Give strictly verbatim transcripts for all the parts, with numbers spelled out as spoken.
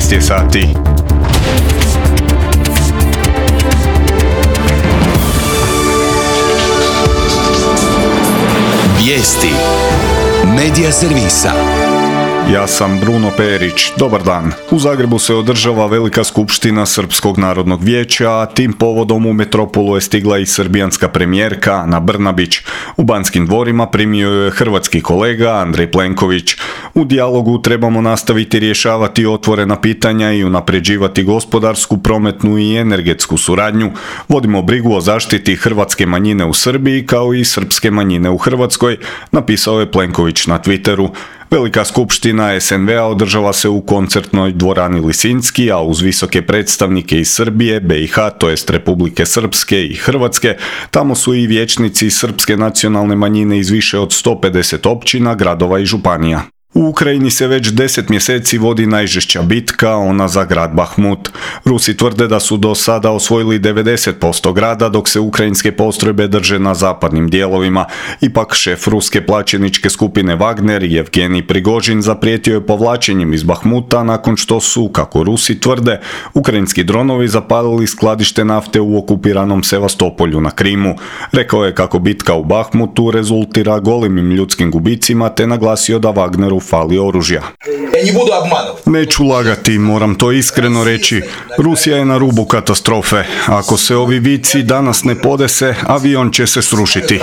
šesnaest je sati. Vijesti Medija servisa. Ja sam Bruno Perić. Dobar dan. U Zagrebu se održava velika skupština Srpskog narodnog vijeća, a tim povodom u metropolu je stigla i srbijanska premijerka Ana Brnabić. U Banskim dvorima primio je hrvatski kolega Andrej Plenković. U dijalogu trebamo nastaviti rješavati otvorena pitanja i unapređivati gospodarsku, prometnu i energetsku suradnju. Vodimo brigu o zaštiti hrvatske manjine u Srbiji kao i srpske manjine u Hrvatskoj, napisao je Plenković na Twitteru. Velika skupština es en ve a održava se u koncertnoj dvorani Lisinski, a uz visoke predstavnike iz Srbije, be i ha, to jest Republike Srpske i Hrvatske, tamo su i vijećnici srpske nacionalne manjine iz više od sto pedeset općina, gradova i županija. U Ukrajini se već deset mjeseci vodi najžešća bitka, ona za grad Bahmut. Rusi tvrde da su do sada osvojili devedeset posto grada, dok se ukrajinske postrojbe drže na zapadnim dijelovima. Ipak šef ruske plaćeničke skupine Wagner, Jevgenij Prigožin, zaprijetio je povlačenjem iz Bahmuta nakon što su, kako Rusi tvrde, ukrajinski dronovi zapalili skladište nafte u okupiranom Sevastopolju na Krimu. Rekao je kako bitka u Bahmutu rezultira golemim ljudskim gubicima, te naglasio da Wagneru fali oružja. Neću lagati, moram to iskreno reći. Rusija je na rubu katastrofe. Ako se ovi vici danas ne podese, avion će se srušiti.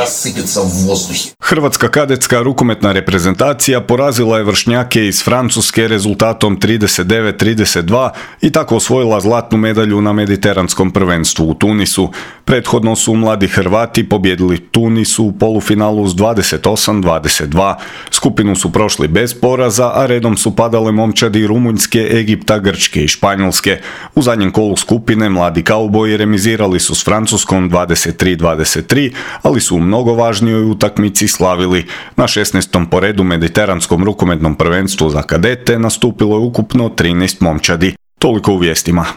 Hrvatska kadetska rukometna reprezentacija porazila je vršnjake iz Francuske rezultatom trideset devet trideset dva i tako osvojila zlatnu medalju na mediteranskom prvenstvu u Tunisu. Prethodno su mladi Hrvati pobjedili Tunisu u polufinalu s dvadeset osam dvadeset dva. Skupinu su prošli bez poraza, a redom su padale momčadi Rumunjske, Egipta, Grčke i Španjolske. U zadnjem kolu skupine mladi kauboji remizirali su s Francuskom dvadeset tri dvadeset tri, ali su u mnogo važnijoj utakmici slavili. Na šesnaestom po redu mediteranskom rukometnom prvenstvu za kadete nastupilo je ukupno trinaest momčadi. Toliko u vijestima.